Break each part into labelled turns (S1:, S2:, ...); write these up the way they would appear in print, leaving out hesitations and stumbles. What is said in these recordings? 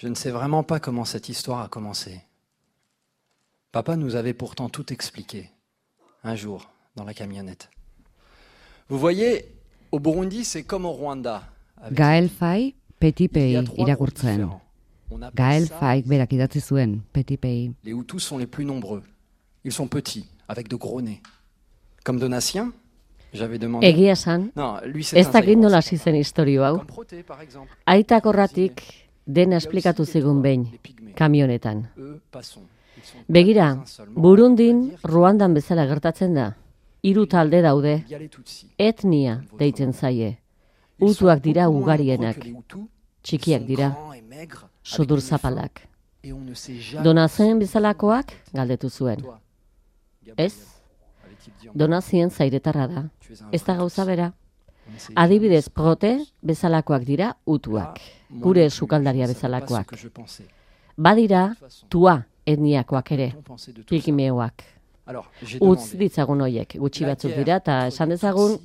S1: Je ne sais vraiment pas comment cette histoire a commencé. Papa nous avait pourtant tout expliqué, un jour, dans la camionnette. Vous voyez, au Burundi, c'est comme au Rwanda.
S2: Gael Faye, Petit Pays irakurtzen. Gael Faye berak idatzi zuen, Petit Pays.
S1: Les Hutus sont les plus nombreux. Ils sont petits, avec de gros nez. Comme Donatien, j'avais demandé...
S3: Egia esan, ez dakit nola hasi zen istorio hau. Aitak horratik dena esplikatu zigun behin, kamionetan. Begira, Burundin, Ruandan bezala gertatzen da. 3 talde daude, etnia deitzen zaie. Hutuak dira ugarienak, txikiak dira, sudur zapalak. Donazien bezalakoak galdetu zuen. Ez, Donazien zairetarra da, ez da gauza bera. Adibidez, Prote bezalakoak dira hutuak, gure sukaldaria bezalakoak. Badira, Tua etniakoak ere, pikimeoak. Utz ditzagun hoiek, gutxi batzuk dira, eta esan dezagun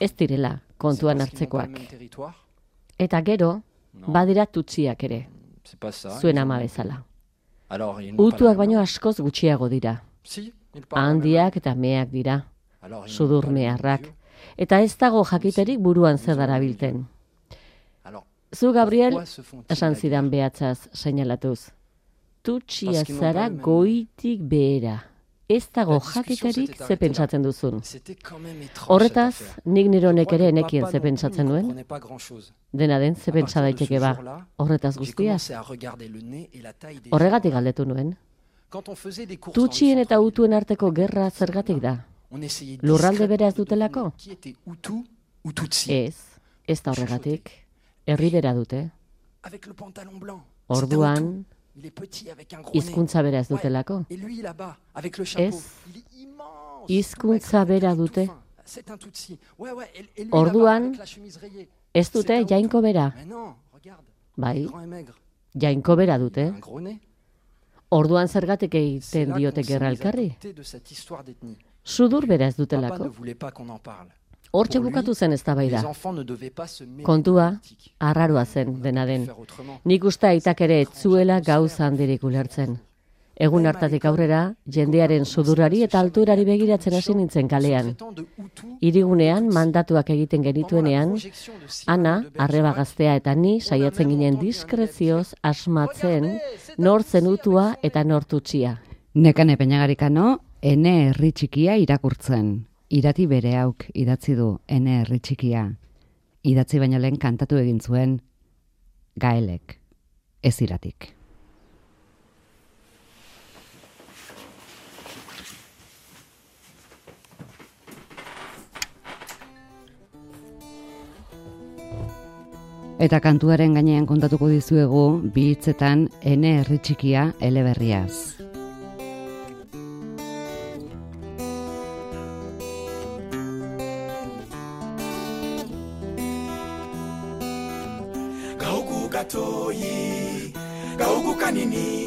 S3: ez direla kontuan hartzekoak. Eta gero, badira tutsiak ere, zuen ama bezala. Hutuak baino askoz gutxiago dira. Handiak eta meak dira, sudur meharrak, eta ez dago jakiterik buruan zer darabilten. Zu, Gabriel, esan zidan behatzaz seinalatuz. Tutsia zara goitik behera. Ez dago jakiterik ze pentsatzen duzun. Horretaz, nik nironek ere nekien ze pentsatzen nuen. Dena den, ze pentsa daiteke ba. Horretaz guztiaz. Horregatik galdetu nuen. Tutsien eta hutuen arteko gerra zergatik da? Lurralde bera ez dutelako? Ez da horregatik. Herri bera dute. Orduan, hizkuntza bera ez dutelako? Ez, hizkuntza bera dute. Orduan, ez dute jainko bera? Bai, jainko bera dute. Orduan zergatik egiten diote gerra elkarri? Sudur bera ez dutelako? Hortxe bukatu zen eztabaida. Kontua, arraroa zen dena den. Nik uste aitak ere etzuela gauza handirik ulertzen. Egun hartatik aurrera, jendearen sudurari eta alturari begiratzen hasi nintzen kalean. Hirigunean mandatuak egiten genituenean, Ana, arreba gaztea eta ni saiatzen ginen diskrezioz asmatzen nor zen hutua eta nor tutsia.
S2: Nekane Peñagarikano, Ene herri txikia irakurtzen. Irati bere hauk idatzi du Ene herri txikia. Idatzi baino lehen kantatu egin zuen Gaelek, ez Iratik. Eta kantuaren gainean kontatuko dizuegu bi hitzetan Ene herri txikia eleberriaz.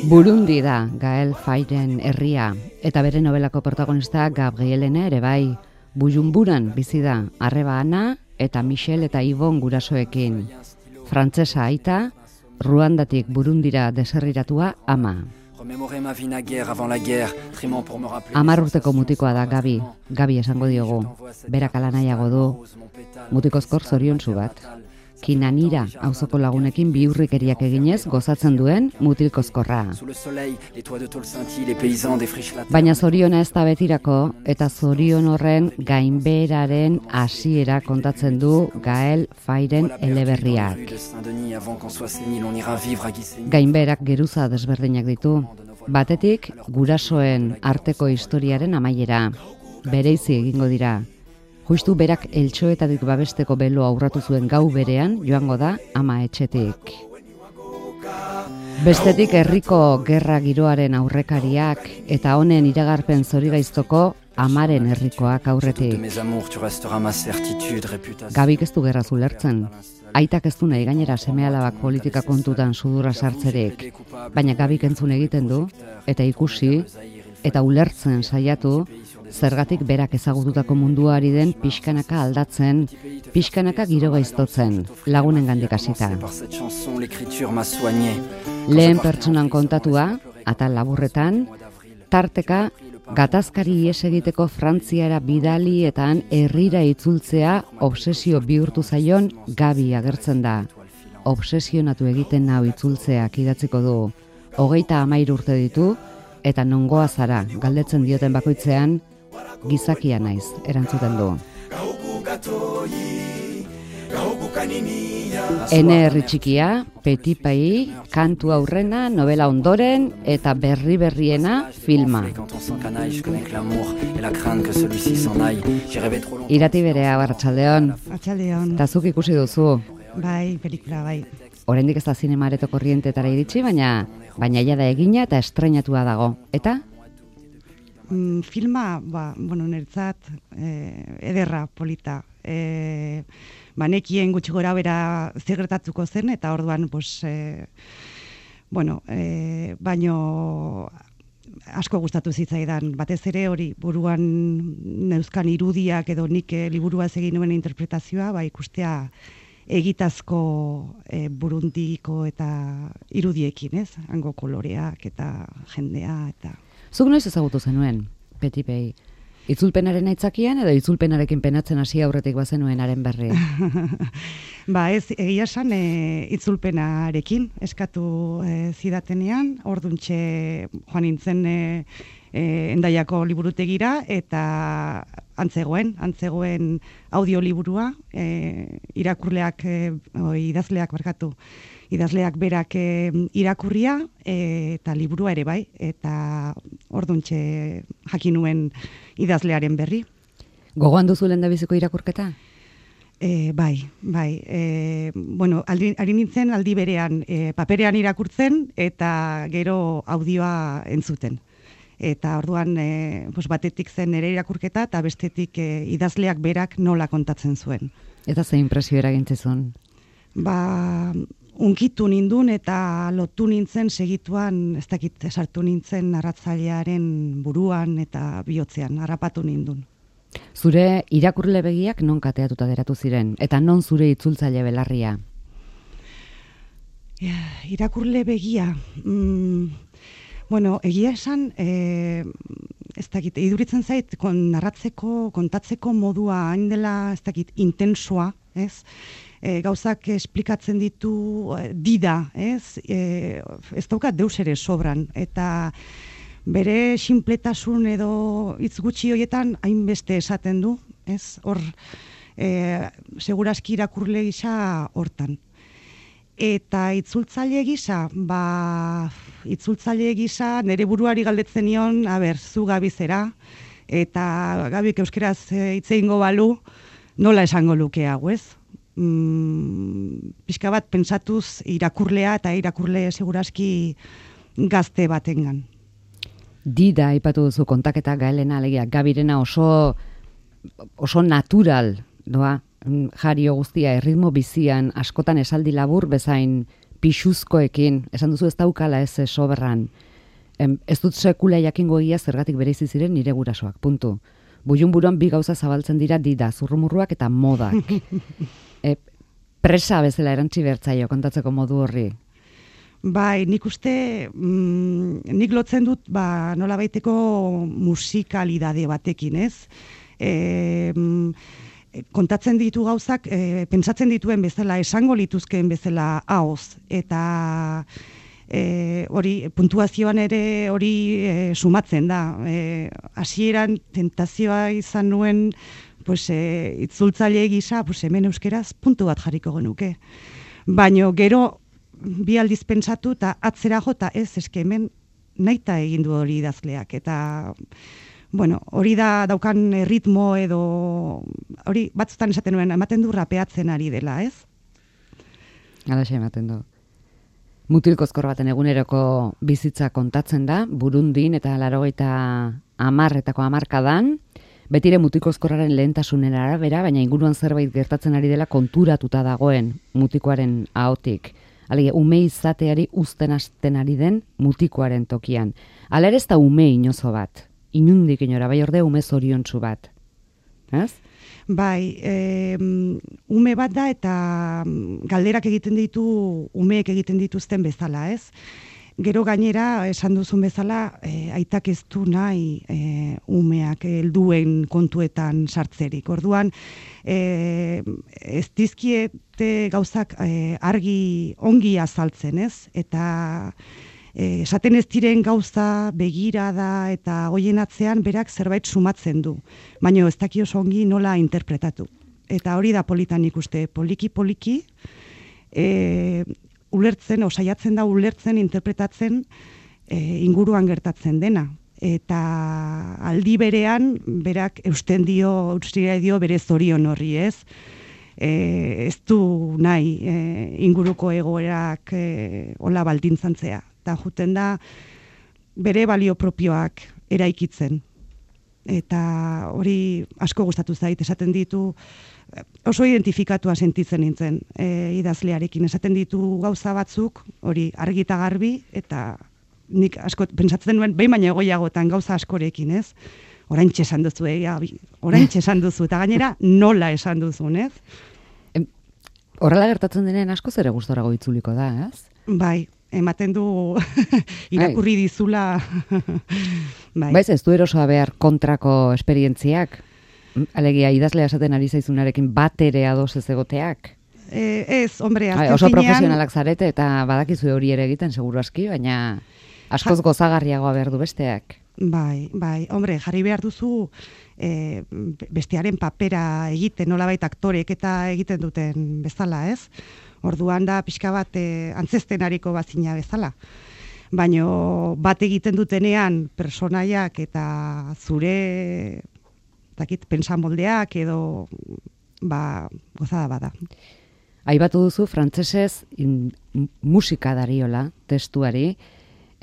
S2: Burundi da Gael Fayeren herria, eta bere nobelako protagonista Gabrielena ere bai. Bujumburan bizi da, arreba Ana eta Michel eta Ibon gurasoekin. Frantsesa aita, Ruandatik Burundira deserriratua ama. 10 urteko mutikoa da Gabi, Gabi esango diogu. Berak ala nahiago du, mutikozkor zoriontsu bat. Kinanira auzoko lagunekin bihurrikeriak eginez gozatzen duen mutilkozkorra. Baina zoriona ez da betirako, eta zorion horren gainbeheraren hasiera kontatzen du Gael Fayeren eleberriak. Gainbeherak geruza desberdinak ditu. Batetik, gurasoen arteko historiaren amaiera. Bereizi egingo dira. Justu berak eltxoetatik babesteko beloa aurratu zuen gau berean joango da ama etxetik. Bestetik herriko gerra giroaren aurrekariak eta honen iragarpen zorigaiztoko amaren herrikoak aurretik. Gabik ez du gerra ulertzen. Aitak ez du nahi gainera seme-alabak politika kontutan sudurra sartzerik, baina Gabik entzun egiten du eta ikusi eta ulertzen saiatu, zergatik berak ezagututako munduari den pixkanaka aldatzen, pixkanaka giro gaiztotzen, lagunen gandik hasita. Lehen pertsonan kontatua, atal laburretan, tarteka, gatazkari ihes egiteko Frantziara bidali eta han herrira itzultzea obsesio bihurtu zaion Gabi agertzen da. Obsesionatu egiten nau itzultzeak idatziko du. 33 urte ditu eta nongoa zara galdetzen dioten bakoitzean gizakia naiz erantzuten du. Ene herri txikia, Petit Pays, kantu aurrena, novela ondoren eta berriena filma. Irati berea, Arratsaldeon.
S4: Arratsaldeon.
S2: Ta zuk ikusi duzu.
S4: Bai, pelikula bai.
S2: Oraindik ez da zinema areto korrientetara iritsi, baina ja da egina eta estreinatua dago. Eta?
S4: Filma, niretzat ederra, polita. Nekien gutxi gora bera zer gertatuko zen, eta orduan, baino asko gustatu zitzaidan. Batez ere hori buruan neuzkan irudiak edo nik liburuaz egin nuen interpretazioa, ikustea egitazko Burundiko eta irudiekin, ez? Hango koloreak eta jendea eta...
S2: Zuk noiz ezagutu zenuen, Petit Pays? Itzulpenaren aitzakian edo itzulpenarekin penatzen hasi aurretik bazenuen haren berri?
S4: Ez, egia esan itzulpenarekin eskatu zidatenean, orduntxe joan nintzen Endaiako liburutegira eta antzegoen audioliburua, idazleak berak irakurria eta liburua ere bai, eta orduntxe jakin nuen idazlearen berri.
S2: Gogoan duzu lehendabiziko irakurketa?
S4: Bai. Ari nintzen aldi berean paperean irakurtzen eta gero audioa entzuten. Eta orduan batetik zen nire irakurketa eta bestetik idazleak berak nola kontatzen zuen.
S2: Eta ze inpresio eragintzezun?
S4: Unkitu nindun eta lotu nintzen segituan, ez dakit sartu nintzen narratzailearen buruan eta bihotzean, harrapatu nindun.
S2: Zure irakurle begiak non kateatuta geratu ziren, eta non zure itzultzaile belarria?
S4: Irakurle begia... egia esan, ez dakit, iduritzen zait, kontatzeko modua hain dela, ez dakit, intensoa, ez? Gauzak esplikatzen ditu dida, ez? Ez daukat deus ere sobran, eta bere sinpletasun edo hitz gutxi horietan hainbeste esaten du, ez? Hor, segurazki irakurle gisa hortan. Eta itzultzaile gisa, nire buruari galdetzen nion, zu Gabi zera, eta Gabik euskeraz hitz egingo balu, nola esango luke hau, ez? Pixka bat pentsatuz irakurlea eta irakurle segurazki gazte batengan.
S2: Dida aipatu duzu kontaketa Gaelena, alegia Gabirena oso natural, doa? Jario guztia, erritmo bizian, askotan esaldi labur bezain pixuzkoekin, esan duzu ez daukala ez soberran. Ez dut sekula jakingo egia zergatik bereizi ziren nire gurasoak, puntu. Builun buruan bi gauza zabaltzen dira Dida, zurrumurruak eta modak. Presa bezala erantzi bertzaio kontatzeko modu horri.
S4: Bai, nik uste, nik lotzen dut nola baiteko musikalidade batekin, ez? Kontatzen ditu gauzak, pentsatzen dituen bezala, esango lituzkeen bezala ahoz, eta hori puntuazioan ere hori sumatzen da. Hasieran tentazioa izan nuen itzultzaile gisa, hemen euskeraz puntu bat jarriko genuke. Baina gero bi aldiz pentsatu eta atzera jota ez, eske hemen nahita egin du hori idazleak, eta hori da daukan ritmo edo, hori batzutan esaten nuen, ematen du rapeatzen ari dela, ez?
S2: Alaxe ematen du. Mutilkozkor baten eguneroko bizitza kontatzen da, Burundin eta 80etako hamarkadan, betire mutilkozkorraren lehentasunen arabera, baina inguruan zerbait gertatzen ari dela konturatuta dagoen mutikoaren ahotik. Alegia, ume izateari uzten hasten ari den mutikoaren tokian. Hala ere ez da ume inozo bat, inundik inora, bai orde ume zoriontsu bat. Ez?
S4: Bai, ume bat da eta galderak egiten ditu, umeek egiten dituzten bezala, ez? Gero gainera, esan duzun bezala, aitak ez du nahi umeak helduen kontuetan sartzerik. Orduan, ez dizkiete gauzak argi ongi azaltzen, ez? Eta esaten ez diren gauza, begirada eta hoien atzean berak zerbait sumatzen du. Baina ez daki oso ongi nola interpretatu. Eta hori da politan ikuste, poliki-poliki, ulertzen, saiatzen da ulertzen, interpretatzen inguruan gertatzen dena. Eta aldi berean, berak eusten dio bere zorion horri, ez? Ez du nahi inguruko egoerak hola baldintzantzea. Eta juten da bere balio propioak eraikitzen. Eta hori asko gustatu zait, esaten ditu, oso identifikatua sentitzen nintzen idazlearekin, esaten ditu gauza batzuk, hori argi eta garbi, eta nik asko pentsatzen nuen, behin baina egoiagotan gauza askorekin, ez? Oraintxe esan duzu, oraintxe esan duzu, eta gainera nola esan duzun, ez?
S2: Horrela gertatzen denean asko zere gustorago itzuliko da, ez?
S4: Bai, ematen du irakurri dizula. Bai.
S2: Baiz, ez du erosoa behar kontrako esperientziak? Alegia, idazlea esaten ari zaizunarekin bat ere ados ez egoteak?
S4: Ez, hombre, azken
S2: oso profesionalak zarete eta badakizu hori ere egiten seguru aski, baina askoz gozagarriagoa behar du besteak.
S4: Bai, hombre, jarri behar duzu bestearen papera egiten, nolabait aktorek eta egiten duten bezala, ez? Orduan da pixka bat antzesten hariko bazina bezala. Baina bat egiten dutenean personaiak eta zure pensamoldeak edo gozada bada.
S2: Aipatu duzu frantsesez musika dariola testuari.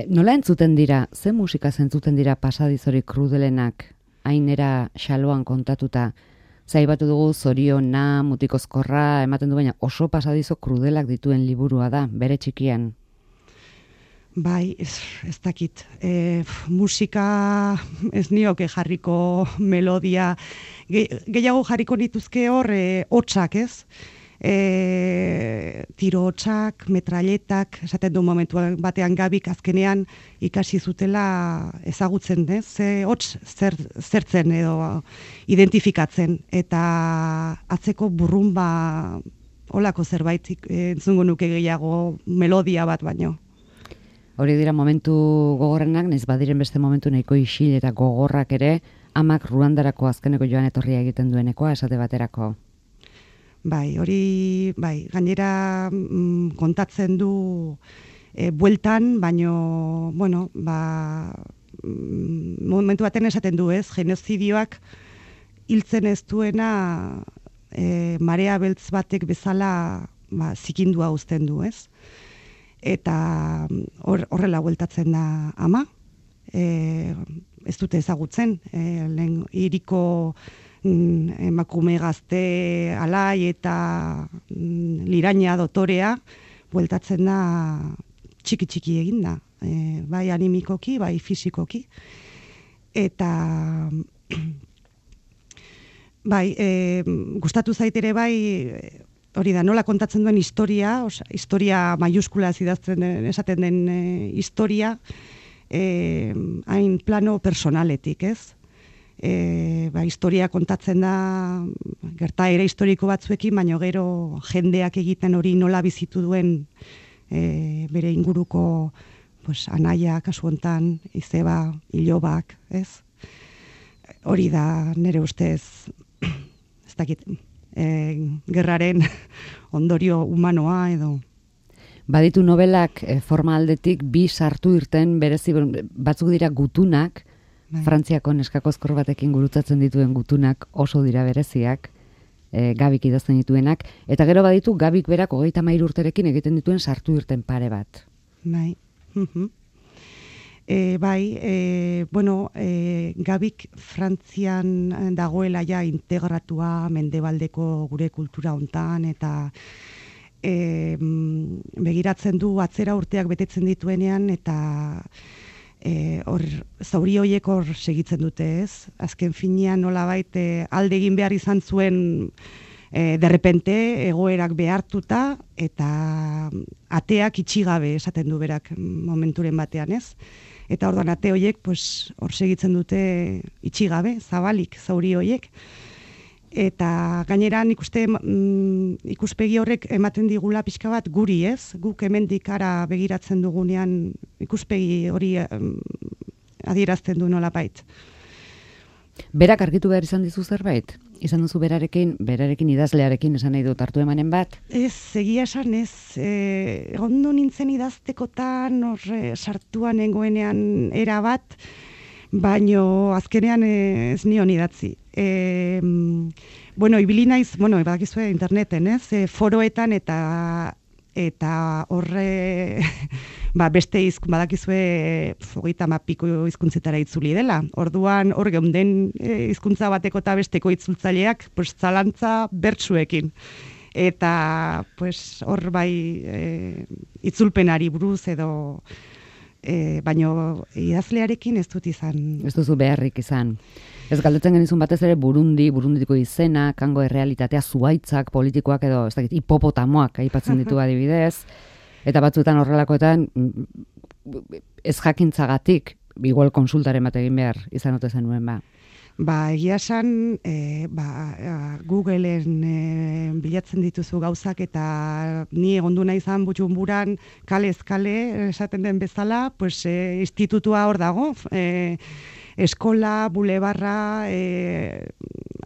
S2: Nola entzuten dira, ze musika zentzuten dira pasadizori krudelenak hainera xaloan kontatuta? Zaibatu dugu zoriona, mutikozkorra, ematen du baina oso pasadizo krudelak dituen liburua da, bere txikian.
S4: Bai, ez dakit. Musika ez nioke jarriko melodia. Gehiago jarriko nituzke hor hotsak, ez? Tiro hotsak, metralletak, esaten du momentu batean Gabik azkenean ikasi zutela ezagutzen, ze hots zertzen edo identifikatzen, eta atzeko burrumba holako zerbait entzungo nuke gehiago melodia bat baino.
S2: Hori dira momentu gogorrenak, naiz badiren beste momentu nahiko isil eta gogorrak ere, amak Ruandarako azkeneko joan etorria egiten duenekoa esate baterako.
S4: Bai, hori, gainera kontatzen du bueltan, baino, momentu baten esaten du, ez, genozidioak hiltzen ez duena marea beltz batek bezala zikindua uzten du, ez? Eta horrela bueltatzen da ama, ez dute ezagutzen, lehen hiriko emakume gazte alai eta liraina dotorea bueltatzen da txiki eginda, bai animikoki, bai fisikoki. Eta bai, gustatu zaitere bai, hori da, nola kontatzen duen historia, historia maiuskulaz idazten esaten den historia, hain plano personaletik, ez? Historia kontatzen da gertaera historiko batzuekin, baina gero jendeak egiten hori nola bizitu duen bere inguruko anaia, kasu hontan, izeba, ilobak, ez? Hori da nire ustez, ez dakit, gerraren ondorio humanoa edo.
S2: Baditu novelak forma aldetik bi sartu irten berezi, batzuk dira gutunak, Frantziako neskakozkor batekin gurutzatzen dituen gutunak oso dira bereziak, Gabik idazten dituenak, eta gero baditu Gabik berak 33 urterekin egiten dituen sartu irten pare bat.
S4: Bai. Gabik Frantzian dagoela ja integratua mendebaldeko gure kultura hontan, eta begiratzen du atzera urteak betetzen dituenean, eta hor zauri horiek hor segitzen dute, ez? Azken finean nolabait alde egin behar izan zuen derrepente egoerak behartuta, eta ateak itxigabe esaten du berak momenturen batean, ez? Eta orduan ate horiek hor segitzen dute itxigabe, zabalik zauri horiek. Eta gainera nik uste ikuspegi horrek ematen digula pixka bat guri, ez? Guk hemendik ara begiratzen dugunean ikuspegi hori adierazten du nolabait.
S2: Berak argitu behar izan dizu zerbait? Izan duzu berarekin idazlearekin esan nahi dut hartu emanen bat?
S4: Ez, egia esan ez. Ondo nintzen idaztekotan, sartuan nengoenean era bat, baino azkenean ez nion idatzi. Ibili naiz, badakizue interneten, ez? Foroetan eta horre beste badakizue 30 hizkuntzetara itzuli dela. Orduan hor geunden hizkuntza bateko eta besteko itzultzaileak zalantza bertsuekin. Eta hor bai itzulpenari buruz edo baino idazlearekin ez dut izan.
S2: Ez duzu beharrik izan. Ez galdetzen genizun batez ere Burundiko izena, kango errealitatea, zuhaitzak, politikoak edo, ez dakit, hipopotamoak aipatzen ditu adibidez, eta batzuetan horrelakoetan ez jakintzagatik, igual konsultaren bat egin behar izan ote zenuen ba.
S4: Egia esan, Googleen bilatzen dituzu gauzak, eta ni egondu nahi izan Bujumburan kalez kale esaten den bezala, institutua hor dago, eskola, bulebarra,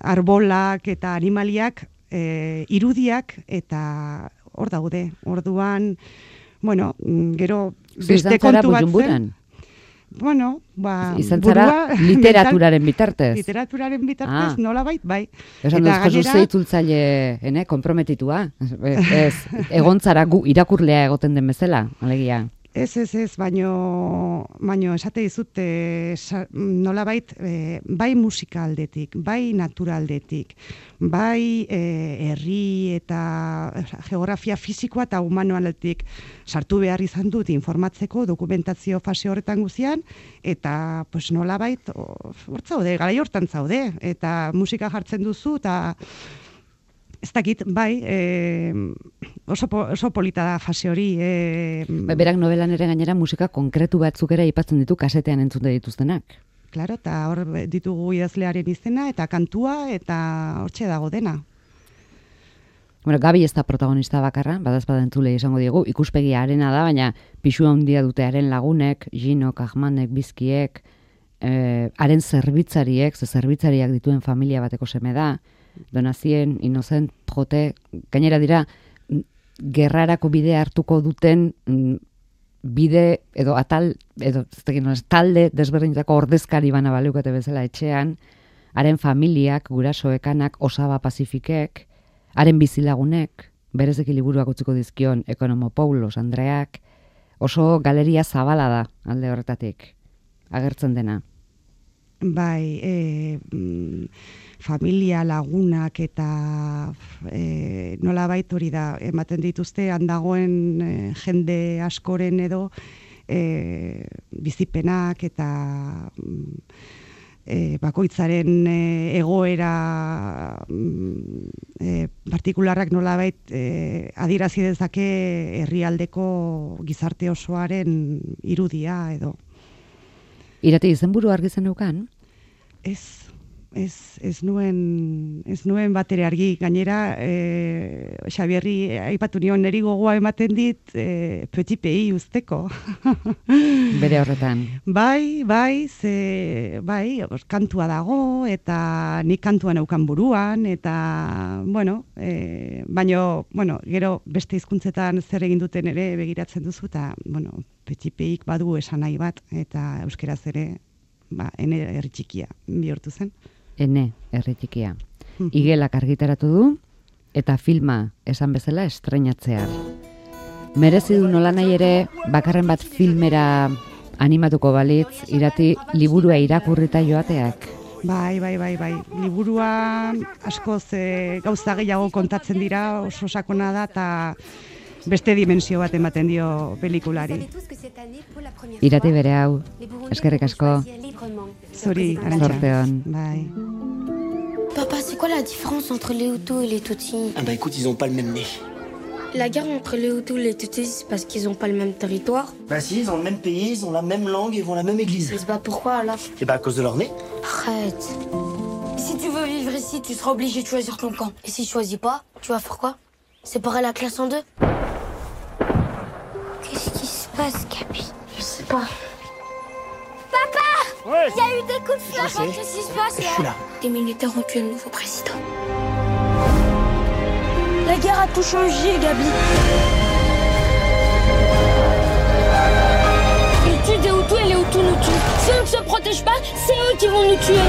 S4: arbolak eta animaliak, irudiak, eta hor daude. Orduan, gero beste kontu bat zen.
S2: Izan zara literaturaren bitartez.
S4: Literaturaren bitartez, nolabait, bai.
S2: Esan duzko itzultzaile konprometitua. Egon zara irakurlea egoten den bezala, alegia.
S4: Ez, baino esate dizut nolabait bai musika aldetik, bai natura aldetik, bai herri eta geografia fisikoa eta humano aldetik sartu behar izan dut informatzeko dokumentazio fase horretan guztian, eta nolabait hor zaude, garai hortan zaude, eta musika jartzen duzu, eta ez dakit, bai, oso polita da fase hori.
S2: Berak novelan ere gainera musika konkretu batzuk ere aipatzen ditu kasetean entzute dituztenak.
S4: Claro, eta hor ditugu idazlearen izena, eta kantua, eta hortxe dago dena.
S2: Gabi ez da protagonista bakarra, badazpada entzule izango diegu, ikuspegia arena da, baina pixua handia dute haren lagunek, Jinok, Ahmanek, Bizkiek, haren zerbitzariek, zerbitzariak dituen familia bateko seme da, Donazien, Inocent, Jote, gainera dira, gerrarako bidea hartuko duten bide edo talde desberdinetako ordezkari bana baleukate bezala etxean, haren familiak, gurasoekanak, Osaba Pazifikek, haren bizilagunek, berezeki liburuak utziko dizkion Ekonomo Paulos Andreak, oso galeria zabala da alde horretatik, agertzen dena.
S4: Bai, familia, lagunak eta nolabait hori da, ematen dituzte handagoen jende askoren edo bizipenak eta bakoitzaren egoera partikularrak nolabait adierazi dezake herrialdeko gizarte osoaren irudia edo.
S2: Irati izenburu argi zeneukan?
S4: Ez nuen batere argi, gainera Xabierri aipatu nion neri gogoa ematen dit Petit Pays usteko.
S2: Bere horretan.
S4: Bai, kantua dago, eta nik kantua neukan buruan, eta, gero beste hizkuntzetan zer egin duten ere begiratzen duzu, eta, Petit Pays badu esan nahi bat, eta euskeraz ere, ene herri txikia bihurtu zen.
S2: Ene herri txikia. Igelak argitaratu du, eta filma esan bezala estreinatzear. Merezi du nolanahi ere, bakarren bat filmera animatuko balitz, Irati liburua irakurrita joateak?
S4: Bai. Liburua askoz gauza gehiago kontatzen dira, oso sakona da, eta beste dimensio bat ematen dio pelikulari.
S2: Irati bere hau, eskerrik asko.
S4: Zuri, Arantxa. Bai.
S5: Papa, c'est quoi la différence entre les Hutus et les Tutsis?
S6: Ah bah écoute, ils ont pas le même nez.
S5: La guerre entre les Hutus et les Tutsis, c'est parce qu'ils ont pas le même territoire?
S6: Bah si, ils ont le même pays, ils ont la même langue et vont à la même église.
S5: Mais c'est pas pourquoi alors?
S6: Et bah à cause de leur nez.
S5: Arrête. Si tu veux vivre ici, tu seras obligé de choisir ton camp. Et si tu choisis pas, tu vas faire quoi? Séparer la classe en deux? Qu'est-ce qui se passe, Gabi? Je sais pas. Papa!
S6: Ouais.
S5: Il y a eu des coups de feu. Qu'est-ce qui se passe là?
S6: Je suis là.
S5: Des militaires ont tué le nouveau président. La guerre a tout changé, Gabi. Ils tuent des Hutus et les Hutus nous tuent. Si on ne se protège pas, c'est eux qui vont nous tuer.